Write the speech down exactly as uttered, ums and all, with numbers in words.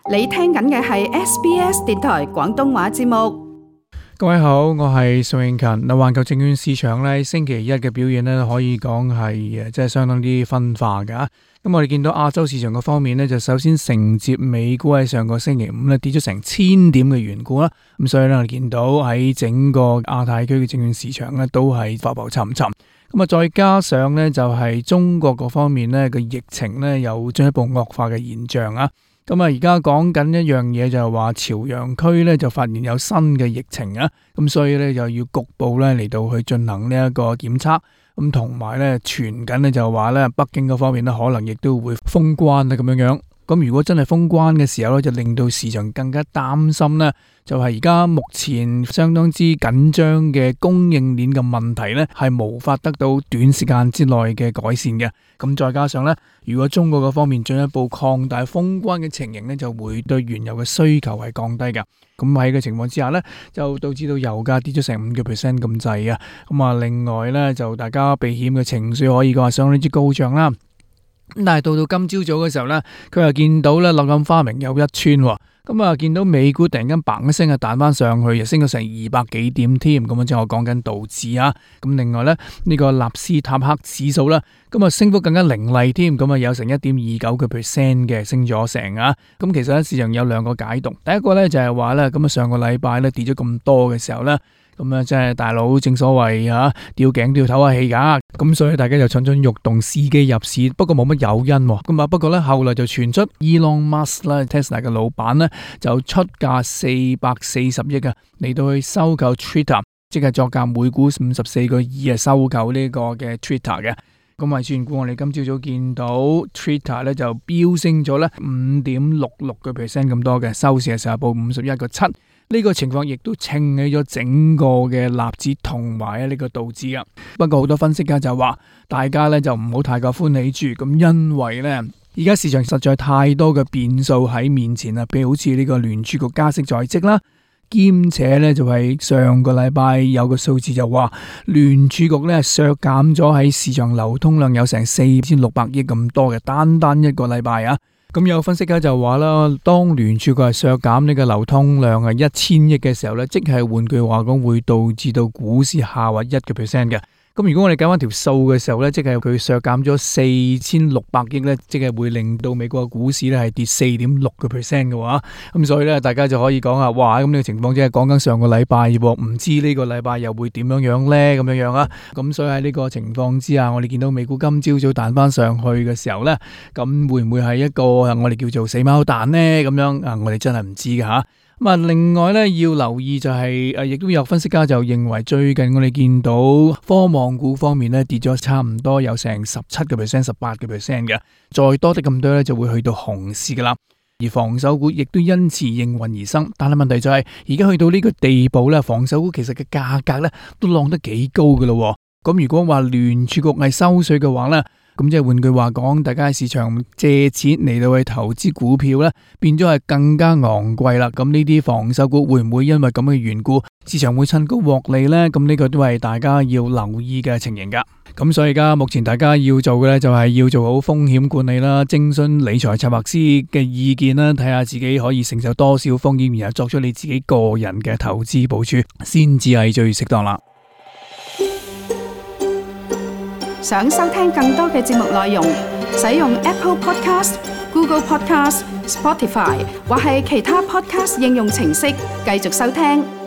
你聽緊嘅係 S B S 電台廣東話節目。各位好，我係宋永勤。嗱，環球證券市場咧，星期一嘅表現咧，可以講係誒，即係相當之分化噶。咁我哋見到亞洲市場嘅方面咧，就首先承接美股喺上個星期五咧跌咗成千點嘅緣故啦。咁所以咧，我哋見到喺整個亞太區嘅證券市場咧，都係浮浮沉沉。咁啊，再加上咧，就係中國嗰方面咧嘅疫情咧，有進一步惡化嘅現象啊。咁啊，而家講緊一樣嘢就係話朝陽區咧就發現有新嘅疫情啊，咁所以咧就要局部咧嚟到去進行呢一個檢測，咁同埋咧傳緊咧就話咧北京嗰方面咧可能亦都會封關啊咁樣樣。咁如果真係封關嘅時候咧，就令到市場更加擔心咧，就係而家目前相當之緊張嘅供應鏈嘅問題咧，係無法得到短時間之內嘅改善嘅。咁再加上咧，如果中國嗰方面進一步擴大封關嘅情形咧，就會對原油嘅需求係降低嘅。咁喺個情況之下咧，就導致到油價跌咗成五個 percent 咁滯啊。咁啊，另外咧就大家避險嘅情緒可以講係相當之高漲啦。咁但係到到今朝早嘅時候咧，佢又見到咧柳暗花明又一村喎。咁啊，見到美股突然間嘭一聲啊彈翻上去，又升咗成二百幾點添。咁啊，即係我講緊道指啊。咁另外咧，呢個納斯塔克指數啦，咁啊升幅更加凌厲添。咁啊有成一點二九個 percent 嘅升咗成啊。咁其實咧市場有兩個解讀，第一個咧就係話咧，咁啊上個禮拜咧跌咗咁多嘅時候咧。咁啊，即係大佬正所謂吓吊頸都要唞下氣噶，咁所以大家就蠢蠢欲動，伺機入市。不過冇乜誘因，咁啊，不過咧後來就傳出 Elon Musk 啦 ，Tesla 嘅老闆咧就出價四百四十億啊，嚟到去收購 Twitter， 即係作價每股五十四個二啊，收購呢個嘅 Twitter 嘅。咁啊，轉股我哋今朝早見到 Twitter 咧就飆升咗咧五點六六個 percent 咁多嘅，收市嘅時候報五十一個七。呢個情況亦都撐起咗整個嘅納指同埋呢個道指啊。不過好多分析家就話，大家咧就唔好太過歡喜住，咁因為咧而家市場實在太多嘅變數喺面前啊，譬如好似呢個聯儲局加息在即啦，兼且咧就係上個禮拜有個數字就話聯儲局咧削減咗喺市場流通量有成四千六百億咁多嘅，單單一個禮拜啊。咁有分析家就話啦，當聯儲局係削減呢個流通量係一千億嘅時候咧，即係換句話講，會導致到股市下滑一個 percent 嘅。咁如果我哋計翻條數嘅時候咧，即係佢削減咗四千六百億咧，即係會令到美國嘅股市咧係跌四點六個 percent 嘅話，咁所以咧大家就可以講啊，哇！咁呢個情況即係講緊上個禮拜喎，唔知呢個禮拜又會點樣樣咧？咁樣樣啊，咁所以喺呢個情況之下，我哋見到美股今朝早彈翻上去嘅時候咧，咁會唔會係一個我哋叫做死貓彈咧？咁樣啊，我哋真係唔知㗎吓。咁啊，另外咧要留意就係誒，亦都有分析家就認為最近我哋見到科網股方面咧跌咗差唔多有成十七個 percent、十八個 percent 嘅，再多啲咁多咧就會去到熊市噶啦。而防守股亦都因此應運而生，但係問題就係而家去到呢個地步咧，防守股其實嘅價格咧都浪得幾高噶咯。咁如果話聯儲局係收水嘅話咧，咁即係換句話講，大家喺市場借錢嚟到去投資股票咧，變咗係更加昂貴啦。咁呢啲防守股會唔會因為咁嘅緣故，市場會趁高獲利呢？咁呢個都係大家要留意嘅情形噶。咁所以而家目前大家要做嘅咧，就係要做好風險管理啦，徵詢理財策劃師嘅意見啦，睇下自己可以承受多少風險，然後作出你自己個人嘅投資部署，先至係最適當啦。想收聽更多嘅節目內容，使用 Apple Podcast、Google Podcast、Spotify 或係其他 Podcast 應用程式繼續收聽。